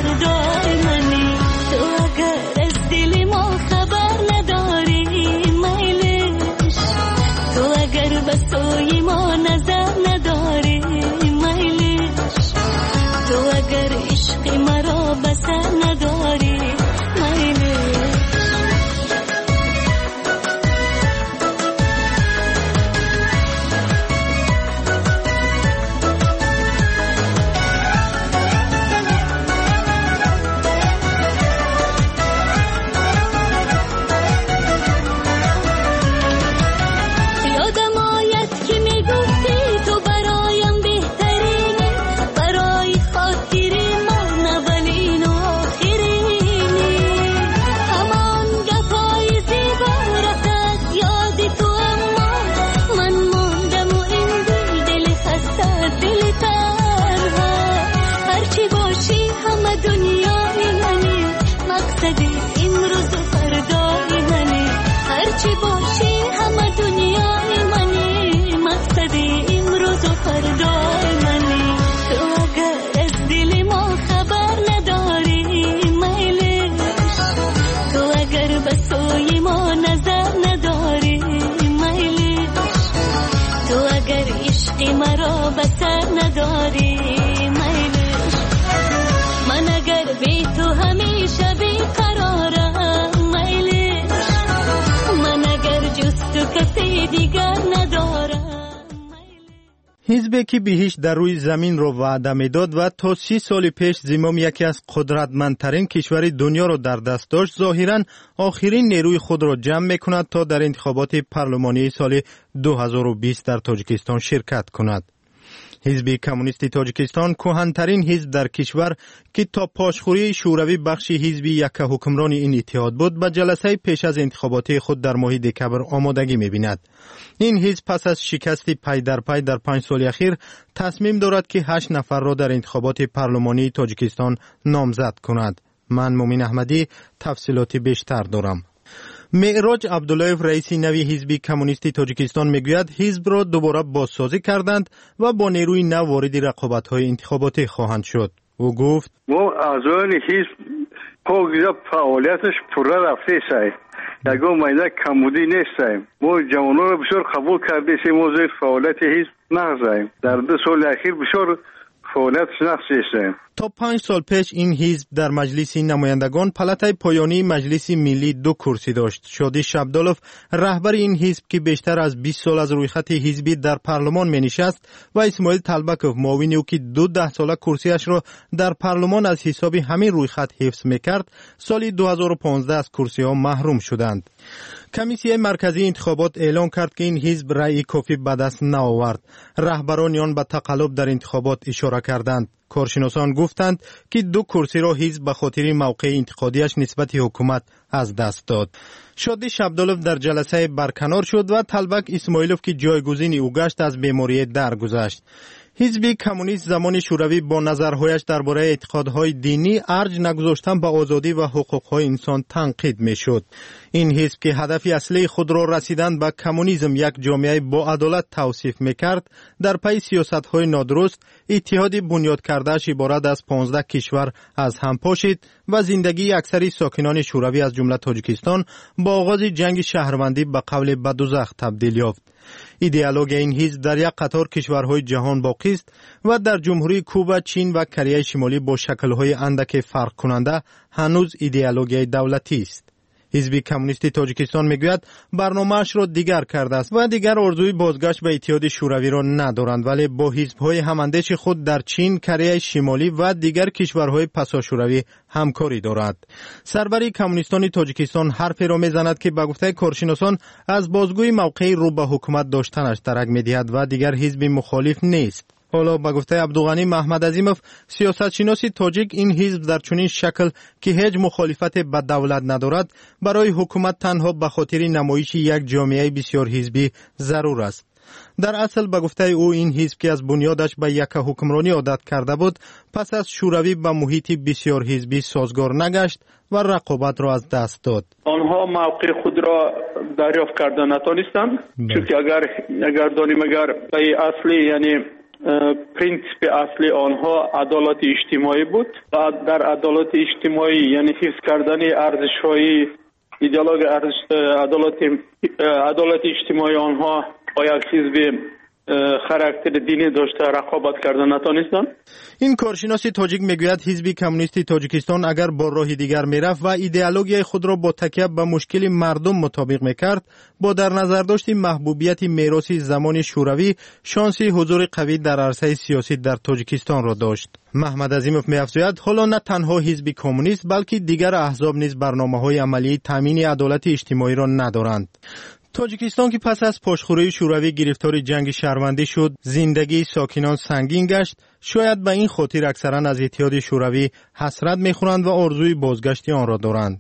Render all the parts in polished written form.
فردای منی. تو اگر از دل ما خبر نداری میلش، تو اگر به سوی ما نظر نداری میلش، تو اگر عشق مرا به سر نداری میلش. مرا به سر نداری میلش، من اگر بی تو همیشه بیقرارم میلش، من اگر جز تو کسی دیگر ندارم. Ҳизбе ки биҳишт дар рӯи заминро ваъда медод ва то 30 соли пеш зимоми яке аз қудратмандтарин кишвари дунёро дар даст дошт, зоҳиран охирин нерӯи худро ҷамъ мекунад то дар интихоботи парлумонии соли 2020 дар Тоҷикистон ширкат кунад. Ҳизби коммунисти Тоҷикистон, кӯҳантарин ҳизб дар кишвар, ки то пошхӯрии шӯравӣ бахши ҳизби яккаҳукмрони ин иттиҳод буд, ба ҷаласаи пеш аз интихоботии худ дар моҳи декабр омодагӣ мебинад. Ин ҳизб пас аз шикасти пай дар пай дар 5 соли ахир тасмим дорад, ки 8 нафарро дар интихоботи парлумонии Тоҷикистон номзад кунад. Ман Мумин Аҳмадӣ тафсилоти бештар дорам. Меъроҷ Абдуллоев, раиси нави ҳизби коммунисти Тоҷикистон, мегӯяд, ҳизбро дубора бозсозӣ карданд ва бо нерӯи нав вориди рақобатҳои интихоботӣ хоҳанд шуд. Ӯ гуфт: мо аъзоёни ҳизб покиза фаъолияташ пурра рафтесай, ягон майда камбудӣ нестаем. Мо ҷавононро бисёр қабул кардесем, мо зери фаъолияти ҳизб нағзаем. Дар 2 соли ахир бисёр фаъолияташ нағз шестаем. То 5 сол пеш ин ҳизб дар Маҷлиси намояндагон, палатаи поёнии Маҷлиси миллӣ, 2 курсӣ дошт. Шодӣ Шабдолов, раҳбари ин ҳизб, ки бештар аз 20 сол аз рӯйхати ҳизбӣ дар парлумон менишаст, ва Исмоил Талбаков, муовини ӯ, ки 2 даҳсола курсиашро дар парлумон аз ҳисоби ҳамин рӯйхат ҳифз мекард, соли 2015 аз курсиҳо маҳрум шуданд. Комиссияи марказии интихобот эълон кард, ки ин ҳизб раъи кофӣ ба даст наовард. Раҳбарони он ба тақаллуб дар интихобот ишора карданд. Коршиносон гуфтанд, ки 2 курсиро ҳизб ба хотири мавқеи интиқодиаш нисбати ҳукумат аз даст дод. Шодӣ Шабдолов дар ҷаласае барканор шуд ва Талбак Исмоилов, ки ҷойгузини ӯ гашт, аз беморие даргузашт. Ҳизби коммунист замони шӯравӣ бо назарҳояш дар бораи эътиқодҳои динӣ, арҷ нагузоштан ба озодӣ ва ҳуқуқҳои инсон танқид мешуд. Ин ҳизб, ки ҳадафи аслии худро расидан ба коммунизм, як ҷомеаи боадолат тавсиф мекард, дар пайи сиёсатҳои нодуруст иттиҳоди бунёдкардааш иборат аз 15 кишвар аз ҳам пошид ва зиндагии аксари сокинони шӯравӣ, аз ҷумла Тоҷикистон, бо оғози ҷанги шаҳрвандӣ ба қавле ба дузах табдил ёфт. Идеологияи ин ҳизб дар як қатор кишварҳои ҷаҳон боқист ва дар Ҷумҳурии Куба, Чин ва Кореяи Шимолӣ бо шаклҳои андаке фарқкунанда ҳанӯз идеологияи давлатист. Ҳизби коммунисти Тоҷикистон мегӯяд, барномаашро дигар кардааст ва дигар орзуи бозгашт ба Иттиҳоди Шӯравиро надоранд, вале бо ҳизбҳои ҳамандеши худ дар Чин, Кореяи Шимолӣ ва дигар кишварҳои пасошӯравӣ ҳамкорӣ дорад. Сарвари коммунистони Тоҷикистон ҳарферо мезанад, ки ба гуфтаи коршиносон аз бозгӯи мавқеи рӯ ба ҳукумат доштанаш дарак медиҳад ва дигар ҳизби мухолиф нест. Ҳоло ба гуфтаи Абдуғанӣ Маҳмадазимов, сиёсатшиноси тоҷик, ин ҳизб дар чунин шакл, ки ҳеҷ мухолифате ба давлат надорад, барои ҳукумат танҳо ба хотири намоиши як ҷомеаи бисёрҳизбӣ зарур аст. Дар асл, ба гуфтаи ӯ, ин ҳизб, ки аз бунёдаш ба яккаҳукмронӣ одат карда буд, пас аз шӯравӣ ба муҳити бисёрҳизбӣ созгор нагашт ва рақобатро аз даст дод. Онҳо мавқеи худро дарёфт карда натонистанд, чунки агар донем, агар пайи аслӣ, яъне Принсипи аслии онҳо адолати иҷтимоӣ буд ва дар адолати иҷтимоӣ, яъне ҳифз кардани арзишҳои идеологияи адолати иҷтимоии онҳо бо як ҳизби характери динӣ дошта рақобат карда натонистанд. Ин коршиноси тоҷик мегӯяд, Ҳизби коммунисти Тоҷикистон агар бо роҳи дигар мерафт ва идеологияи худро бо такя ба мушкили мардум мутобиқ мекард, бо дар назардошти маҳбубияти мероси замони Шӯравӣ, шонси ҳузури қавӣ дар арсаи сиёсӣ дар Тоҷикистонро дошт. Маҳмад Азимов меафзояд, ҳоло на танҳо Ҳизби коммунист, балки дигар аҳзоб низ барномаҳои амалии таъмини адолати иҷтимоиро надоранд. Тоҷикистон, ки пас аз пошхӯрии Шӯравӣ гирифтори ҷанги шаҳрвандӣ шуд, зиндагии сокинон сангин гашт. Шояд ба ин хотир аксаран аз Иттиҳоди Шӯравӣ ҳасрат мехӯранд ва орзуи бозгашти онро доранд.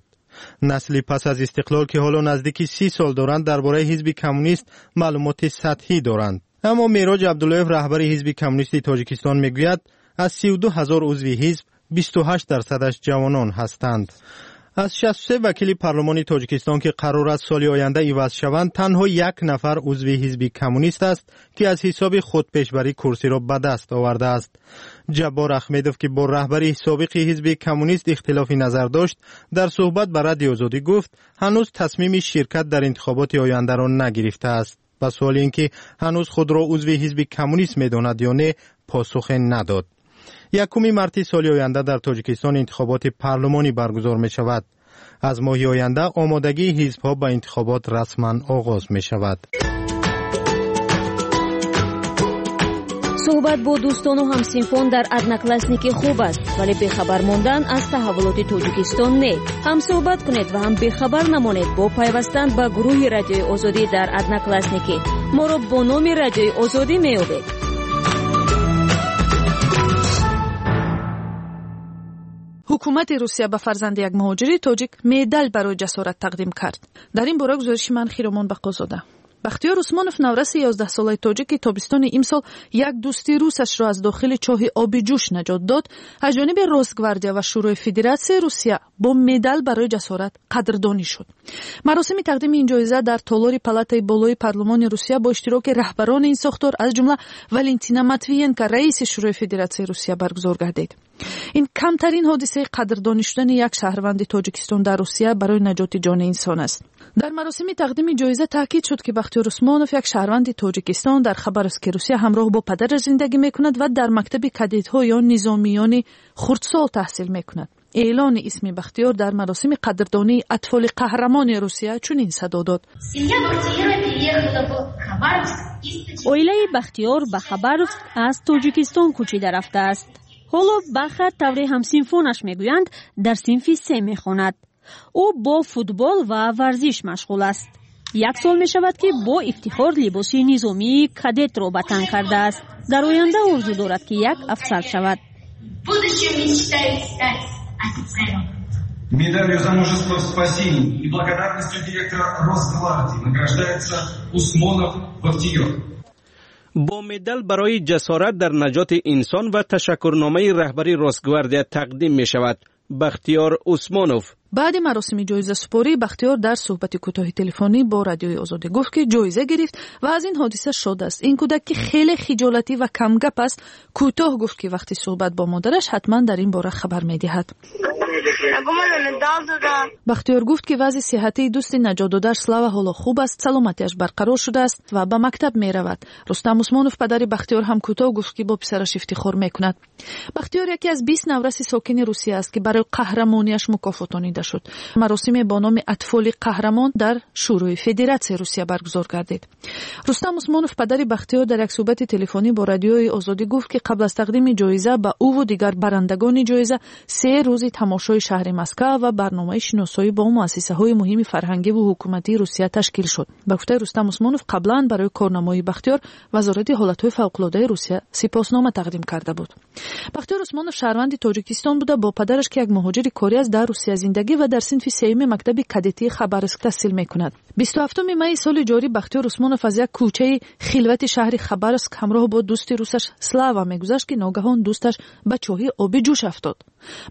Насли пас аз истиқлол, ки ҳоло наздики 30 сол доранд, дар бораи Ҳизби коммунист маълумоти сатҳӣ доранд. Аммо Мероҷ Абдуллоев, раҳбари Ҳизби коммунисти Тоҷикистон, мегӯяд, аз 32 000 узви ҳизб 28 дарсадаш ҷавонон ҳастанд. Аз 63 вакили парлумони Тоҷикистон, ки қарор аст соли оянда иваз шаванд, танҳо як нафар узви Ҳизби коммунист аст, ки аз ҳисоби худпешбарӣ курсиро ба даст овардааст. Ҷаббор Ахмедов, ки бо раҳбари собиқи Ҳизби коммунист ихтилофи назар дошт, дар суҳбат ба Радиои Озодӣ гуфт, ҳанӯз тасмими ширкат дар интихоботи ояндаро нагирифтааст. Ба суоли ин ки ҳанӯз худро узви Ҳизби коммунист медонад ё не, посухе надод. 1 марти соли оянда дар Тоҷикистон интихоботи парлумонӣ баргузор мешавад. Аз моҳи оянда омодагии ҳизбҳо ба интихобот расман оғоз мешавад. Суҳбат бо дӯстону ҳамсинфон дар Одноклассники хуб аст, вале бехабар мондан аз таҳаввулоти Тоҷикистон не. Ҳам суҳбат кунед ва ҳам бехабар намонед бо пайвастан ба гурӯҳи Радиои Озодӣ дар Одноклассники. Моро бо номи Радиои Озодӣ меёбед. Ҳукумати Русия ба фарзанди як муҳоҷири тоҷик медал барои ҷасорат тақдим кард. Дар ин бора гузориши ман, Хиромон Бақозода. Бахтиёр Усмонов, навраси 11-солаи тоҷик, ки тобистони имсол як дӯсти русашро аз дохили чоҳи оби ҷӯш наҷот дод, аз ҷониби Росгвардия ва Шӯрои Федератсияи Русия бо медал барои ҷасорат қадрдонӣ шуд. Маросими тақдими ин ҷоиза дар толори палатаи болои парлумони Русия бо иштироки раҳбарони ин сохтор, аз ҷумла Валентина Матвиенко, раиси Шӯрои Федератсияи Русия, баргузор гардид. Ин камтарин ҳодисаи қадрдонӣ шудани як шаҳрванди Тоҷикистон дар Русия барои наҷоти ҷони инсон аст. Дар маросими тақдими ҷоиза таъкид шуд, ки Бахтиёр Усмонов, як шаҳрванди Тоҷикистон, дар Хабаровски Русия ҳамроҳ бо падараш зиндагӣ мекунад ва дар мактаби кадетҳо ё низомиёни хурдсол таҳсил мекунад. Эълони исми Бахтиёр дар маросими қадрдонии атфоли қаҳрамони Русия чунин садо дод. Оилаи Бахтиёр ба Хабаровск аз Тоҷикистон кӯчида рафтааст. Ҳоло Баха, тавре ҳамсинфонаш мегӯянд, дар синфи се мехонад. Ӯ бо футбол ва варзиш машғул аст. Як сол мешавад, ки бо ифтихор либоси низомии кадетро ба тан кардааст. Дар оянда орзу дорад, ки як афсар шавад. Медалью за мужество в спасении и благодарностью директора Росгвардии награждается Усмонов Бахтиёр. Бо медал барои ҷасорат дар наҷоти инсон ва ташаккурномаи раҳбари Росгвардия тақдим мешавад Бахтиёр Усмонов. Баъди маросими ҷоизасупорӣ Бахтиёр дар суҳбати кӯтоҳи телефонӣ бо Радиои Озодӣ гуфт, ки ҷоиза гирифт ва аз ин ҳодиса шод аст. Ин кӯдак, ки хеле хиҷолатӣ ва камгап аст, кӯтоҳ гуфт, ки вақти суҳбат бо модараш ҳатман дар ин бора хабар медиҳад. Бахтиёр гуфт, ки вазъи сиҳатии дӯсти наҷотдодааш Слава ҳоло хуб аст, саломатиаш барқарор шудааст ва ба мактаб меравад. Рустам Усмонов, падари Бахтиёр, ҳам кӯтоҳ гуфт, ки бо писараш ифтихор мекунад. Бахтиёр яке аз 20 навраси сокини Русия аст, ки барои қаҳрамониаш мукофотонида шуд. Маросиме бо номи атфоли қаҳрамон дар Шӯрои Федератсияи Русия баргузор гардид. Рустам Усмонов, падари Бахтиёр, дар як суҳбати телефонӣ бо Радиои Озодӣ гуфт, ки қабл аз тақдими ҷоиза ба ӯву дигар барандагони ҷоиза 3 рӯзи тамошои шаҳри Москва ва барномаи шиносоӣ бо муассисаҳои муҳими фарҳангиву ҳукуматии Русия ташкил шуд. Ба гуфтаи Рустам Усмонов, қаблан барои корнамоии Бахтиёр Вазорати ҳолатҳои фавқулодаи Русия сипоснома тақдим карда буд. Бахтиёр Усмонов шаҳрванди Тоҷикистон буда, бо падараш, ки як муҳоҷири корӣ аст, дар Русия зиндагӣ ва дар синфи сеюми мактаби кадетии Хабаровск таҳсил мекунад. 27 майи соли ҷорӣ Бахтиёр Усмонов аз як кӯчаи хилвати шаҳри Хабаровск ҳамроҳ бо дӯсти русаш Слава мегузашт, ки ногаҳон дӯсташ ба чоҳи оби ҷӯш афтод.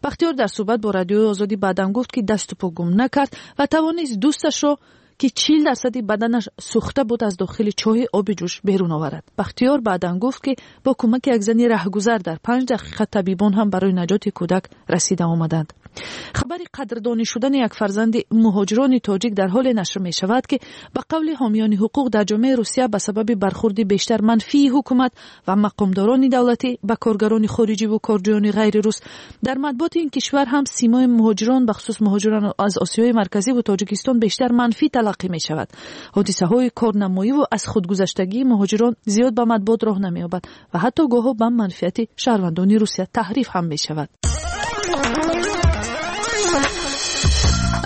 Бахтиёр дар суҳбат бо Радиои Озодӣ баъдан гуфт, ки дасту по гум накард ва тавонист дӯсташро, ки 40% баданаш сӯхта буд, аз дохили чоҳи оби ҷӯш берун оварад. Бахтиёр баъдан гуфт, ки бо кӯмаки як зани раҳгузар дар 5 дақиқа табибон ҳам барои наҷоти кӯдак расида омаданд. Хабари қадрдонӣ шудани як фарзанди муҳоҷирони тоҷик дар ҳоле нашр мешавад, ки ба қавли ҳомиёни ҳуқуқ дар ҷомеаи Русия ба сабаби бархурди бештар манфии ҳукумат ва мақомдорони давлатӣ ба коргарони хориҷиву корҷӯёни ғайрирус, дар матбуоти ин кишвар ҳам симои муҳоҷирон, бахусус муҳоҷирон аз Осиёи Марказиву Тоҷикистон, бештар манфӣ талаққӣ мешавад. Ҳодисаҳои корнамоиву аз худгузаштагии муҳоҷирон зиёд ба матбуот роҳ намеёбад ва ҳатто гоҳо ба манфиати шаҳрвандони Русия таҳриф ҳам мешавад.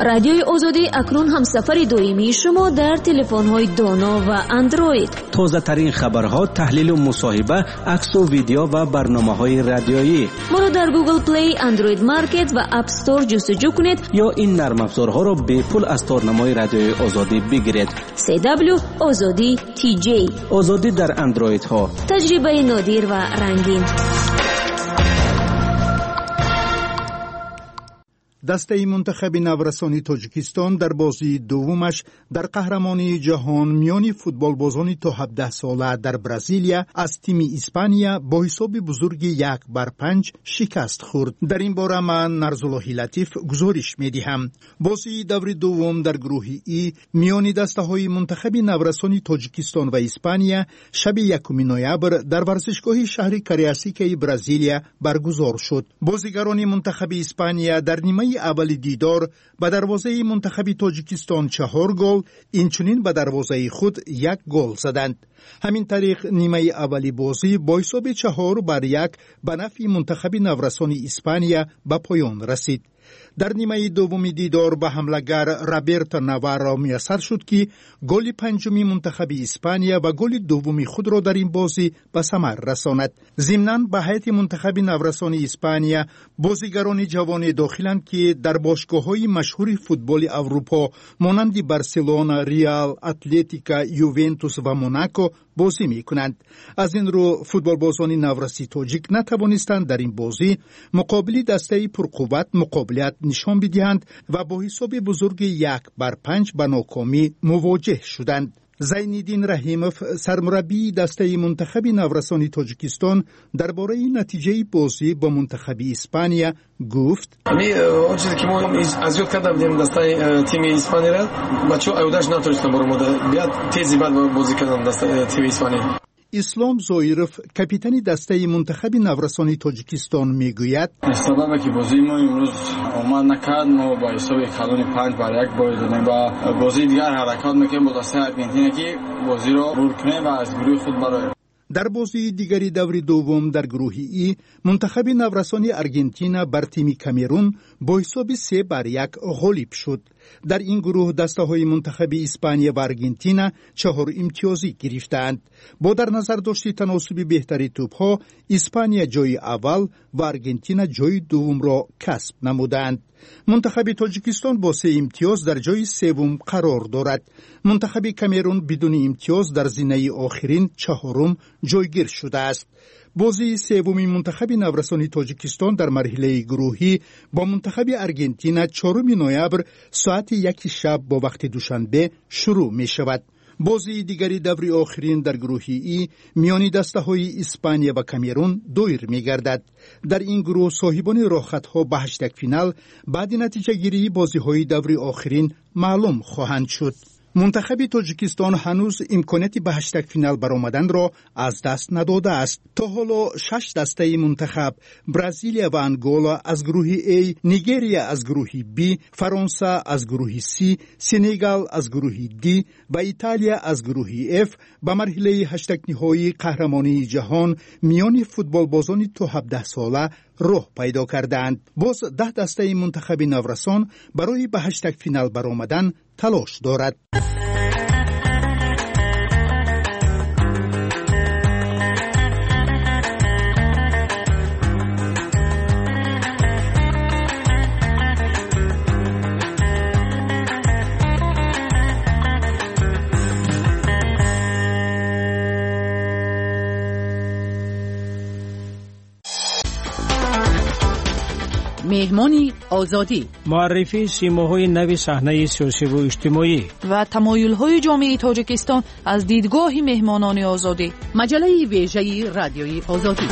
Радиои Озодӣ акнун ҳамсафари доимии шумо дар телефонҳои доно ва Андроид. Тозатарин хабарҳо, таҳлилу мусоҳиба, аксу видео ва барномаҳои радиоӣ. Моро дар Google Play, Android Market ва App Store ҷустуҷӯ кунед. Ё ин нармафзорҳоро бепул аз торнамои Радиои Озодӣ бигиред. CW Озодӣ TJ. Озодӣ дар андроидҳо. Таҷрибаи нодир ва рангин. Дастаи мунтахаби наврасони Тоҷикистон дар бозии дуввумаш дар қаҳрамонии ҷаҳон миёни футболбозони то 17 сола дар Бразилия аз тими Испания бо ҳисоби бузурги 1 бар 5 шикаст хӯрд. Дар ин бора ман, Нарзуллоҳи Латиф, гузориш медиҳам. Бозии даври дуввум дар гурӯҳи И миёни дастаҳои мунтахаби наврасони Тоҷикистон ва Испания шаби 1 ноябр дар варзишгоҳи шаҳри Кариасикаи Бразилия баргузор шуд. Бозигарони мунтахаби Испания дар нимаи аввали дидор ба дарвозаи мунтахаби Тоҷикистон чаҳор гол, инчунин ба дарвозаи худ як гол заданд. Ҳамин тариқ, нимаи аввали бозӣ бо ҳисоби 4 бар 1 ба нафъи мунтахаби наврасони Испания ба поён расид. Дар нимаи дуввуми дидор ба ҳамлагар Роберто Наварро муяссар шуд, ки голи панҷуми мунтахаби Испания ва голи дуввуми худро дар ин бозӣ ба самар расонад. Зимнан, ба ҳайати мунтахаби наврасони Испания бозигарони ҷавоне дохиланд, ки дар бошгоҳҳои машҳури футболи Аврупо, монанди Барселона, Реал, Атлетика, Ювентус ва Монако бозӣ мекунанд. Аз ин рӯ, футболбозони навраси тоҷик натавонистанд дар ин бозӣ муқобили дастаи пурқувват муқобилият нишон бидиҳанд ва бо ҳисоби бузурги 1 бар 5 ба нокомӣ мувоҷеҳ шуданд. Зайниддин Раҳимов, сармураббии дастаи мунтахаби наврасони Тоҷикистон, дар бораи натиҷаи бозӣ бо мунтахаби Испания гуфт: Он чизе ки мо аз ёд карда будем дастаи тими Испанияра, бачаҳо аюдаш натонистанд баромада бият, тези бад бозӣ карданд тими Испания. Ислом Зоиров, капитани дастаи мунтахаби наврасони Тоҷикистон, мегӯяд: Сабабе ки бозии мо имрӯз омад накард, мо ба ҳисоби калони 5 бар 1 бой додем ва бозии дигар ҳаракат мекунем бо дастаи Аргентина, ки бозиро бурд кунем ва аз гурӯҳи худ бароем. Дар бозии дигари даври дуввум дар гурӯҳи И мунтахаби наврасони Аргентина бар тими Камерун бо ҳисоби 3 бар 1 ғолиб шуд. Дар ин гурӯҳ дастаҳои мунтахаби Испания ва Аргентина чаҳор имтиёзӣ гирифтаанд. Бо дар назар дошти таносуби беҳтари тӯбҳо, Испания ҷои аввал ва Аргентина ҷои дуввумро касб намудаанд. Мунтахаби Тоҷикистон бо се имтиёз дар ҷои севум қарор дорад. Мунтахаби Камерун бидуни имтиёз дар зинаи охирин, чаҳорум ҷойгир шудааст. Бозии севуми мунтахаби наврасони Тоҷикистон дар марҳилаи гурӯҳӣ бо мунтахаби Аргентина 4 ноябр соати 1 шаб бо вақти Душанбе шурӯъ мешавад. Бозии дигари даври охирин дар гурӯҳи И миёни дастаҳои Испания ва Камерун доир мегардад. Дар ин гурӯҳ соҳибони роҳхатҳо ба ҳаштякфинал баъди натиҷагирии бозиҳои даври охирин маълум хоҳанд шуд. Мунтахаби Тоҷикистон ҳанӯз имконияти ба ҳаштякфинал баромаданро аз даст надодааст. То ҳоло шаш дастаи мунтахаб: Бразилия ва Ангола аз гурӯҳи А, Нигерия аз гурӯҳи Б, Фаронса аз гурӯҳи С, Сенегал аз гурӯҳи Д ва Италия аз гурӯҳи Ф ба марҳилаи ҳаштякниҳоии қаҳрамонии ҷаҳон миёни футболбозони то 17 сола роҳ пайдо кардаанд. Боз 10 дастаи мунтахаби наврасон барои ба ҳаштякфинал баромадан талош дорад. Меҳмони Озодӣ. Муаррифии симоҳои нави саҳнаи сиёсиву иҷтимоӣ ва тамоюлҳои ҷомеаи Тоҷикистон аз дидгоҳи меҳмонони Озодӣ. Маҷаллаи вежаи Радиои Озодӣ.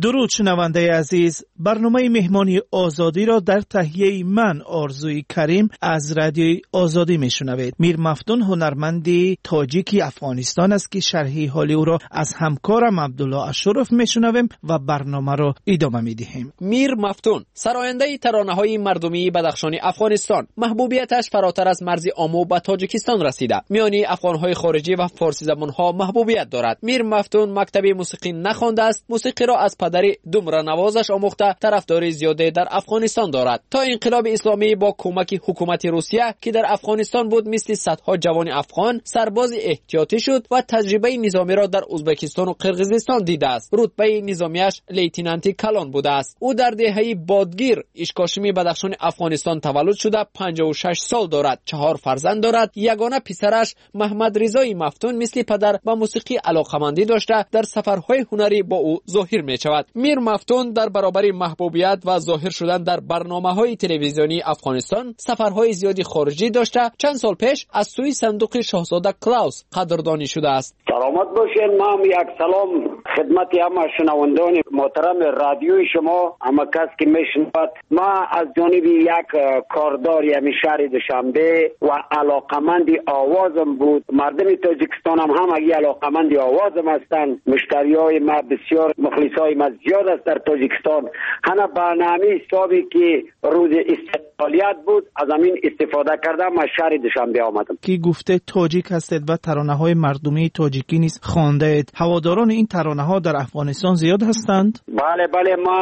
Дуруд, шунавандаи азиз. Барномаи Меҳмони Озодиро дар таҳияи ман, Орзуи Карим, аз Радиои Озодӣ мешунавед. Мир Мафтун ҳунарманди тоҷики Афғонистон аст, ки шарҳи ҳоли ӯро аз ҳамкорам Абдулло Ашуров мешунавем ва барномаро идома медиҳем. Мир Мафтун сарояндаи таронаҳои мардумии Бадахшони Афғонистон. Маҳбубияташ фаротар аз марзи Омӯ ба Тоҷикистон расида, миёни афғонҳои хориҷӣ ва форсизабонҳо маҳбубият дорад. Мир Мафтун мактаби мусиқӣ нахондааст, мусиқиро аз падари думранавозаш омӯхта, тарафдори зиёде дар Афғонистон дорад. То инқилоби исломӣ бо кӯмаки ҳукумати Русия, ки дар Афғонистон буд, мисли садҳо ҷавони афғон сарбози эҳтиётӣ шуд ва таҷрибаи низомиро дар Ӯзбекистону Қирғизистон дидааст. Рутбаи низомиаш лейтенанти калон будааст. Ӯ дар деҳаи Бодгир, Ишкошими Бадахшони Афғонистон таваллуд шуда, 56 сол дорад, 4 фарзанд дорад. Ягона писараш Маҳмадризои Мафтун мисли падар ба мусиқӣ алоқамандӣ дошта, дар сафарҳои ҳунарӣ бо ӯ зоҳир мешавад. Мир Мафтун дар баробари маҳбубият ва зоҳир шудан дар барномаҳои телевизионии Афғонистон сафарҳои зиёди хориҷӣ дошта, чанд сол пеш аз сӯи сандуқи шоҳзода Клаус қадрдонӣ шудааст. Саломат бошед. Ман як салом хидмати ҳама шунавандони муҳтарами радиои шумо, ҳама кас ки мешунавад. Ман аз ҷониби як кордори ҳамин шаҳри Душанбе ва алоқаманди овозам буд. Мардуми Тоҷикистон ҳам ҳамагӣ алоқаманди овозам ҳастанд. Муштариҳои ма бисёр, мухлисҳои ма зиёд аст дар Тоҷикистон. Ҳана ба ҳамин ҳисобе ки рӯзи истиқлолият буд, аз ҳамин истифода кардам, аз шаҳри Душанбе омадам. Ки гуфте тоҷик ҳастед ва таронаҳои мардумии тоҷикӣ низ хондаед. Ҳаводорони ин таронаҳо дар Афғонистон зиёд ҳастанд? Бале, бале, ма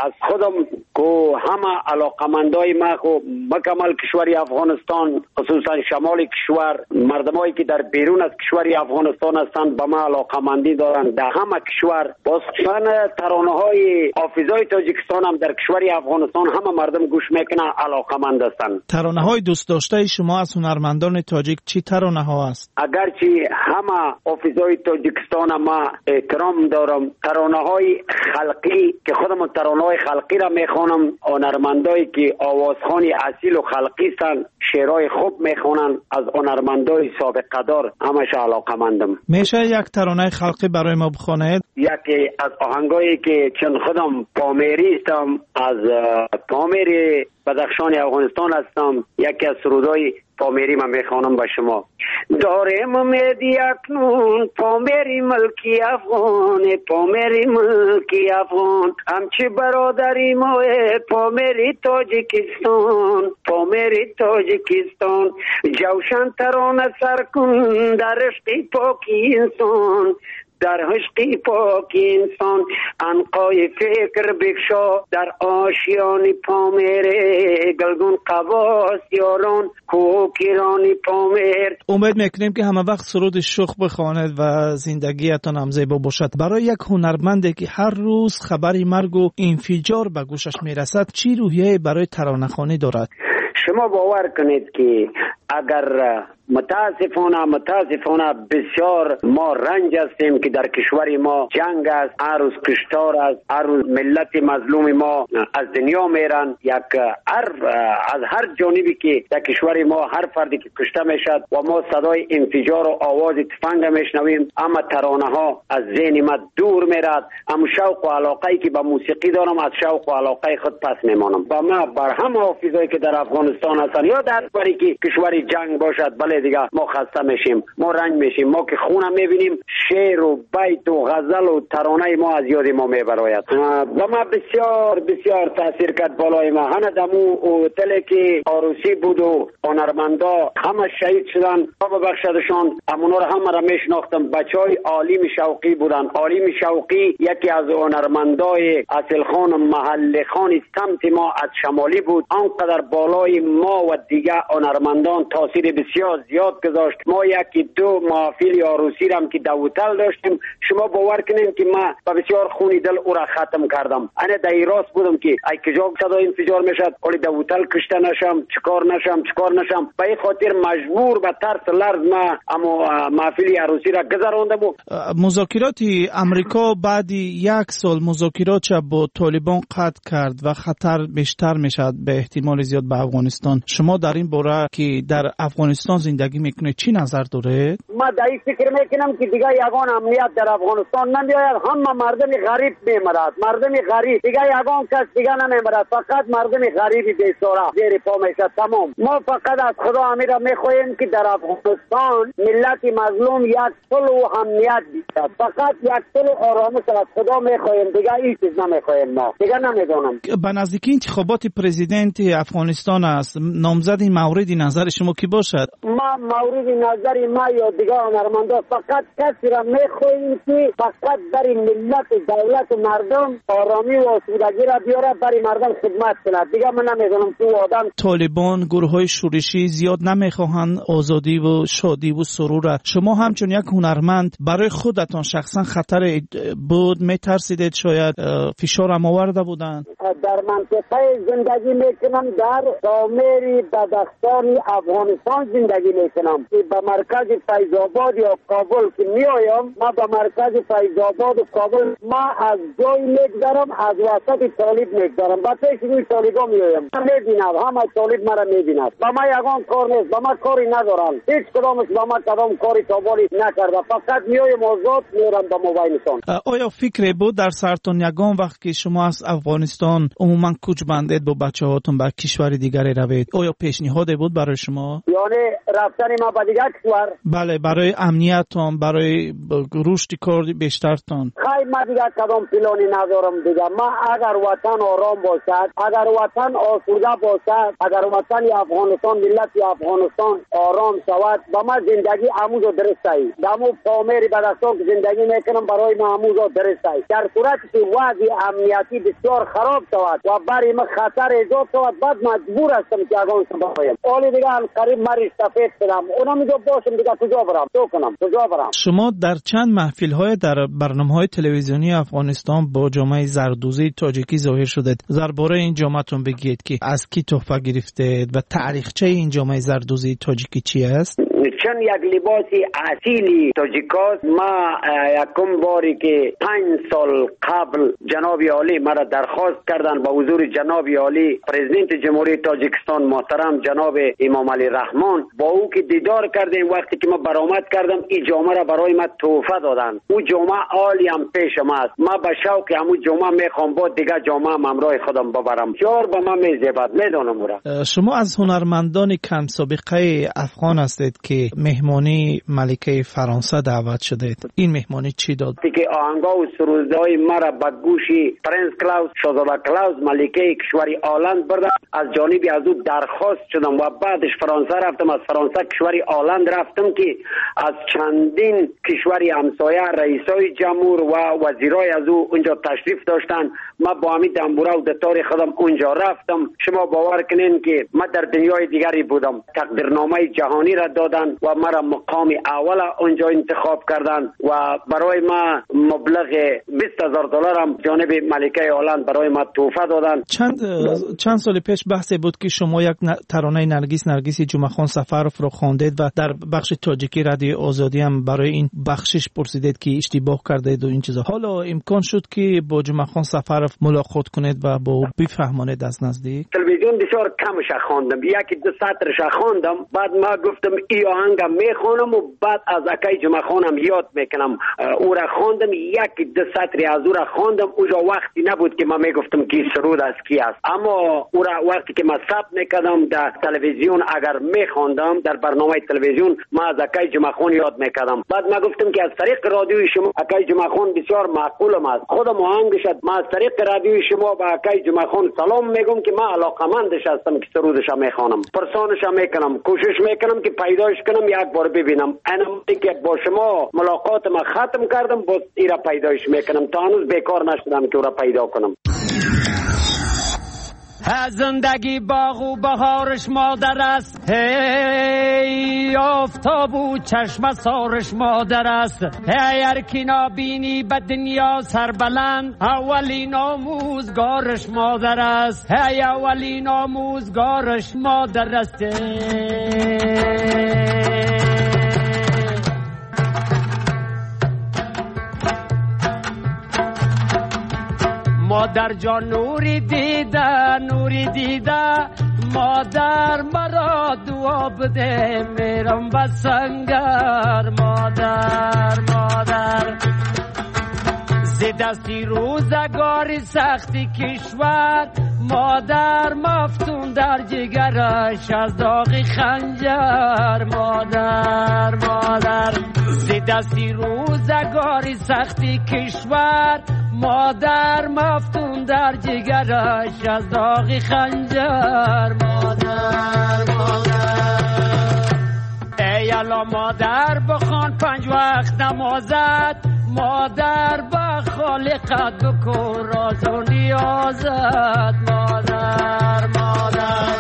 аз худам ку ҳама алоқамандои ма ку мукаммал кишвари Афғонистон, хусусан шамоли кишвар, мардумое ки дар берун аз кишвари Афғонистон ҳастанд, ба ма алоқамандӣ доранд дар ҳама кишвар. Боз хусусан таронаҳои ҳофизои Тоҷикистон ҳам дар кишвари Афғонистон ҳама мардум гӯш мекунанд, алоқаманд ҳастанд. Таронаҳои дӯстдоштаи шумо аз ҳунармандони тоҷик чӣ таронаҳо аст? Агарчи ҳама ҳофизои Тоҷикистон ма эҳтиром дорам, таронаҳои халқӣ ки худам таронаҳои халқиро мехонам, ҳунармандое ки овозхони асилу халқӣ ҳастанд, шеърҳои хуб мехонанд, аз ҳунармандои собиқадор ҳамаша алоқамандам. Мешавад як таронаи халқӣ барои мо бихонед? Яке аз оҳангое ки чун худам померӣ ҳастам, аз Помери Бадахшони Афғонистон ҳастам, яке аз сурудҳои померӣ ман мехонам ба шумо. Дорем умеди акнун Помери мулки афғон, Помери мулки афғон, ҳамчи бародари мо Помери Тоҷикистон, Помери Тоҷикистон, ҷавшан тарона сар кун дар ишқи поки инсон, дар ишқи поки инсон, анқои фикр бикшо дар ошиёни Помер, гулгун қавос ёрон кӯкирони Помер. Умед мекунем ки ҳама вақт суруди шух бихонед ва зиндагиятон ҳам зебо бошад. Барои як ҳунарманде ки ҳар рӯз хабари маргу инфиҷор ба гӯшаш мерасад, чӣ рӯҳияе барои таронахонӣ дорад? Шумо бовар кунед ки агар мутаассифона бисёр мо ранҷ ҳастем ки дар кишвари мо ҷанг аст, ҳар рӯз куштор аст, ҳар рӯз миллати мазлуми мо аз дунё меранд. Як ҳар аз ҳар ҷонибе ки дар кишвари мо ҳар фарде ки кушта мешавад ва мо садои инфиҷор ва овози тифанг мешнавем, аммо таронаҳо аз зеҳни ма дур меравад. Ам шавқу алоқае ки ба мусиқӣ дорам, аз шавқу алоқаи худ пас мемонам. Ба ма бар ҳама ҳофизое ки дар Афғонистон ҳастанд ё дар баре ки кишвари ҷанг бошад, бале дигар мо хаста мешیم, мо ранг мешیم, мо ки хона мебинем, шеъру байту ғазалу таронаи мо аз ёди мо мебарояд. Ба ма бисёр бисёр таъсир кард болои ма. Ҳана даму ҳотеле ки арӯсӣ буду ҳунармандо ҳама шаҳид шуданд, бибахшадашон, ҳамонҳоро ҳамаро мешинохтам. Бачаҳои Олими Шавқӣ буданд. Олими Шавқӣ яке аз ҳунармандои асилхон маҳаллихони самти мо аз шамолӣ буд. Он қадар болои мо ва дигар ҳунармандон таъсири бисёр зиёд гузошт. Мо яки ду маҳфили арӯсӣ рам ки дар ҳотел هتل داشتیم. شما باور کنین که ما با بسیار خونی دل او را ختم کردم. انا در راست بودم که ای کجا صدای انفجار میشد، ولی در هتل کشته نشم، چیکار نشم، چیکار نشم. به این خاطر مجبور به ترس لرز ما اما محفل عروسی را گذراندم. مذاکرات امریکا بعد یک سال مذاکرات با طالبان قطع کرد و خطر بیشتر میشد به احتمال زیاد به افغانستان. شما در این باره که در افغانستان زندگی میکنید چی نظر دارید؟ ما در این فکر میکنم که دیگه یگان امنیت در افغانستان نمیآید، همه مردم غریب میمرد، مردم غریب، دیگه یگان کس دیگه نمیمرد، فقط مردم غریبی بیچاره زیر پا میشه. تمام. ما فقط از خدا امیر میخواهیم که در افغانستان ملت مظلوم یک صلح و امنیت بیاد، فقط یک صلح و آرامش از خدا میخواهیم، دیگه هیچ چیز نمیخواهیم ما، دیگه نمیدونم. به نزدیکی انتخابات پرزیدنت افغانستان است، نامزد مورد نظر شما کی باشد؟ ما مورد نظر ما یا دیگه هنرمندا فقط کسی را میخواهیم که فقط برای ملت و دولت و مردم آرامی و آسودگی را بیاره، برای مردم خدمت کند. دیگه من نمیدونم تو آدم. طالبان، گروه های شورشی زیاد نمیخواهند آزادی و شادی و سرور. شما همچون یک هنرمند برای خودتان شخصا خطر بود، میترسیدید شاید فشار هم آورده بودند؟ در منطقه زندگی میکنم، در دامیر بدخشان افغانستان زندگی میکنم که به مرکز فیض آباد یا کابل که میایم، ما به مرکز فیض آباد و کابل ما از جای میگذرم، از وسط طالب میگذرم، با پیش روی طالبا میایم، میبینم همه طالب مرا میبیند. با ما یگان کار نیست، با ما کاری ندارن، هیچ کدامش با ما کدام کاری تابالی نکرده، فقط میایم آزاد میرم به موبایلشان. آیا فکر بود در سرتون یگان وقت که شما از افغانستان عموما کوچ بندید با بچه هاتون به کشور دیگری روید، آیا پیشنهاد بود برای شما؟ یعنی رفتن ما به دیگر کشور؟ بله، برای امنیتتان، برای رشد کار بیشترتان. خیلی ما دیگر کدام پلانی ندارم دیگه. ما اگر وطن آرام باشد، اگر وطن آسوده باشد، اگر وطن افغانستان، ملت افغانستان آرام شود، با ما زندگی عموز درست است. دمو پامیر بدخشان که زندگی میکنم برای ما عموز درست است. در صورت که وضع امنیتی بسیار خراب شود و برای ما خطر ایجاد شود، بعد مجبور هستم که افغانستان برایم. حالی دیگه هم قریب مریض سفید شدم، اونم اینجا باشم دیگه کجا برم؟ تو کنم کجا برم؟ شما در چند محفل های در برنامه های تلویزیونی افغانستان با جامعه زردوزی تاجیکی ظاهر شدید. درباره این جامعهتون بگید که از کی تحفه گرفتید و تاریخچه این جامعه زردوزی تاجیکی چی است؟ چون یک لباس اصیلی تاجیکاست. ما یکم باری که 5 سال قبل جناب عالی مرا درخواست کردن با حضور جناب عالی پرزیدنت جمهوری تاجیکستان محترم جناب امام علی رحمان، با او که دیدار کردیم، وقتی که ما برآمد کردم این جامعه را برای ما تحفه دادن. او جامعه عالی هم پیش ما است. ما به شوق همون جامعه میخوام با دیگه جامعه همراه خودم ببرم. بسیار به ما میزیبد، میدانم او را. شما از هنرمندان کم سابقه افغان هستید که مهمانی ملکه فرانسه دعوت شدید. این مهمانی چی داد؟ که آهنگا و سرودهای مرا به گوش پرنس کلاوس، شاهزاده کلاوس، ملکه کشور هلند بردم. از جانب از او درخواست شدم و بعدش فرانسه رفتم، از فرانسه کشور هلند رفتم که از چندین کشور همسایه رئیسای جمهور و وزیرای از او اونجا تشریف داشتن. ما با همین دنبوره و دتار خودم اونجا رفتم. شما باور کنین که ما در دنیای دیگری بودم. تقدیرنامه جهانی را دادن و مرا مقام اول اونجا انتخاب کردن و برای ما مبلغ $20,000 هم جانب ملکه هلند برای ما تحفه دادن. چند سال پیش بحث بود که شما یک ترانه نرگس نرگس جمعه خان سفروف رو خواندید و در بخش تاجیکی رادیو آزادی هم برای این بخشش پرسیدید که اشتباه کردید و این چیزا. حالا امکان شد که با جمعه خان سفروف ملاقات کنید و با او بفهمانید از نزدیک؟ تلویزیون بسیار کمش خواندم، یکی دو سطرش خواندم، بعد ما گفتم ای آهنگ میخوانم و بعد از اکای جمعه خانم یاد میکنم. او را خواندم، یک دو سطری از او را خواندم. اوجا وقتی نبود که ما میگفتم کی سرود از کی است، اما او را وقتی که ما ثبت میکردم در تلویزیون، اگر میخواندم در برنامه تلویزیون، ما از اکای جمعه خان یاد میکردم. بعد ما گفتم که از طریق رادیوی شما اکای جمعه خان بسیار معقولم است، خودم آهنگش ما از طریق رادیوی شما به اکای جمعه خان سلام میگم که ما علاقمندش هستم که سرودش میخوانم، پرسانش میکنم، کوشش میکنم که پیداش کنم یک بار ببینم. انا که با شما ملاقات ما ختم کردم، باز ایرا پیدایش میکنم. تا هنوز بیکار نشدم که او را پیدا کنم. زندگی باغ و بهارش مادر است، هی آفتاب و چشم سارش مادر است. هی هر کی نابینی به دنیا سربلند، اولین آموزگارش مادر است. هی اولین آموزگارش مادر است. مادر جان نوری دیده، نوری دیده، مادر مرا دعا بده میرم به سنگر. مادر مادر ز دستی روزگاری سختی کشور، مادر مفتون در جگرش از داغ خنجر. مادر مادر ز دستی روزگاری سختی کشور، مادر مفتون در جگرش از داغ خنجر. مادر مادر ای الله مادر بخوان 5 وقت نمازت، مادر با خالقت بکن راز و نیازت. مادر مادر.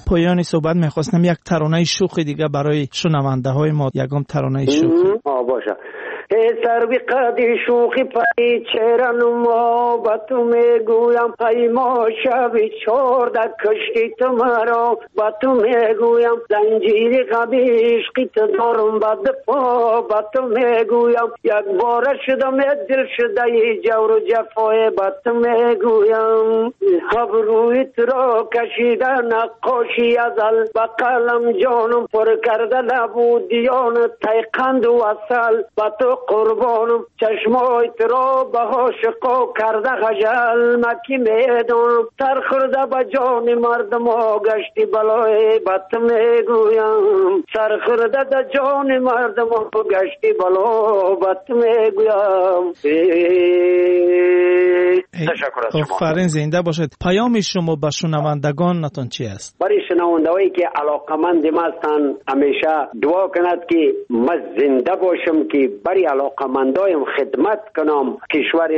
پایان صحبت میخواستم یک ترانه شوخی دیگه برای شنونده های ما، یکم ترانه شوخی. باشه. سروی قدی شوخی پای چهره نما با تو میگویم، ای ما شبی 14 کشتی تو مرا با تو میگویم، زنجیر غم عشقی تو دارم بد پا با تو میگویم، یک بار شدم دل شده ای جور و جفای با تو میگویم، ابروی تو را کشیده نقاشی ازل، با قلم جانم پر کرده لب و دیان تیقند و عسل، با تو قربانم چشمای تو را به عاشقا کرده خجل، مکی میدانم تر خورده به جان مردم ها گشتی بلای بد میگویم، سر خورده به جان مردم ها گشتی بلا بد میگویم. تشکر از شما. آفرین، زنده باشد. پیام شما به شنوندگانتان چی است؟ برای شنوندهایی که علاقمند ما هستند همیشه دعا کند که ما زنده باشم که برای علاقمندایم خدمت کنم، کشور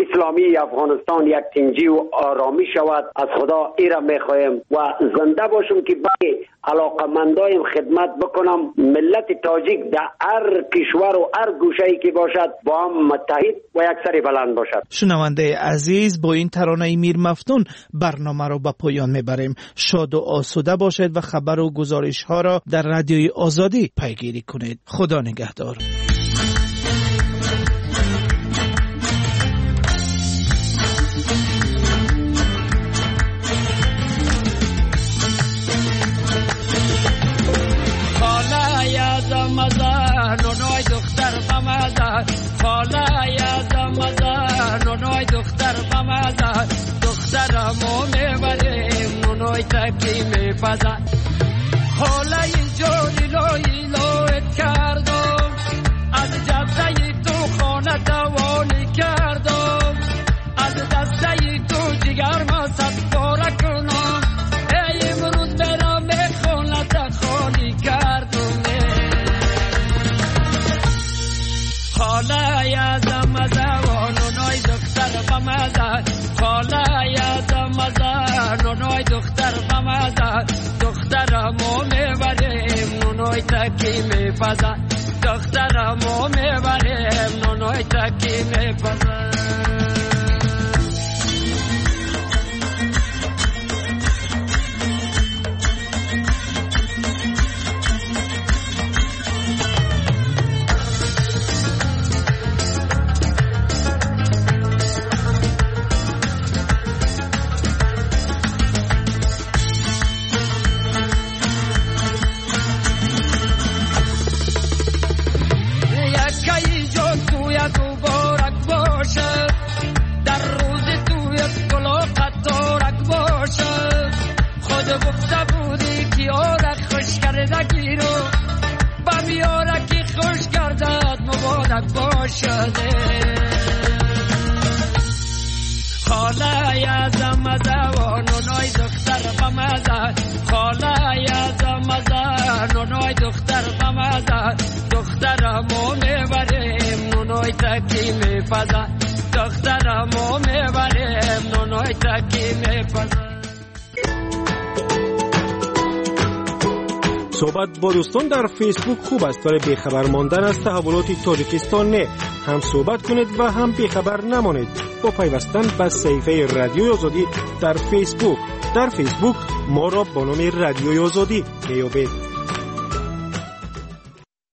اسلامی افغانستان یک تنجی و آرامی شود. از خدا ایرا میخوایم و زنده باشم که برای علاقمندایم خدمت بکنم. ملت تاجیک در هر کشور و هر گوشه‌ای که باشد با هم متحد و یک سری بلند باشد. شنونده عزیز، با این ترانه میر مفتون برنامه را به پایان میبریم. شاد و آسوده باشید و خبر و گزارش ها را در رادیوی آزادی پیگیری کنید. خدا نگهدار. نونوی دختر بمزه، خاله یازم نونوی دختر بمزه، دخترمو میبریم نونوی تکی میپزه. خاله جانی لای لایت کردم، از جبهه تو خانه دوانی کردم، از دسته تو جگر ما صد پاره کنم، ای امروز برم خانه خالی کردم. خاله یازم نونوی دختر بمزه، خاله یازم نونوی دختر بمزه، دخترمو میبریم نونوی تکی میپزه، دخترمو میبریم نونوی تکی میپزه. خاله یازم نونوی دختر بمزه، خاله یازم نونوی دختر بمزه، دخترمو میبریم نونوی تکی میپزه، دخترمو میبریم. ки мепазад. Суҳбат бо дӯстон дар Фейсбук хуб аст, вале бехабар мондан аз таҳаввулоти Тоҷикистон не. Ҳам суҳбат кунед ва ҳам бехабар намонед бо пайвастан ба саҳифаи Радиои Озодӣ дар Фейсбук. Дар Фейсбук моро бо номи Радиои Озодӣ меёбед.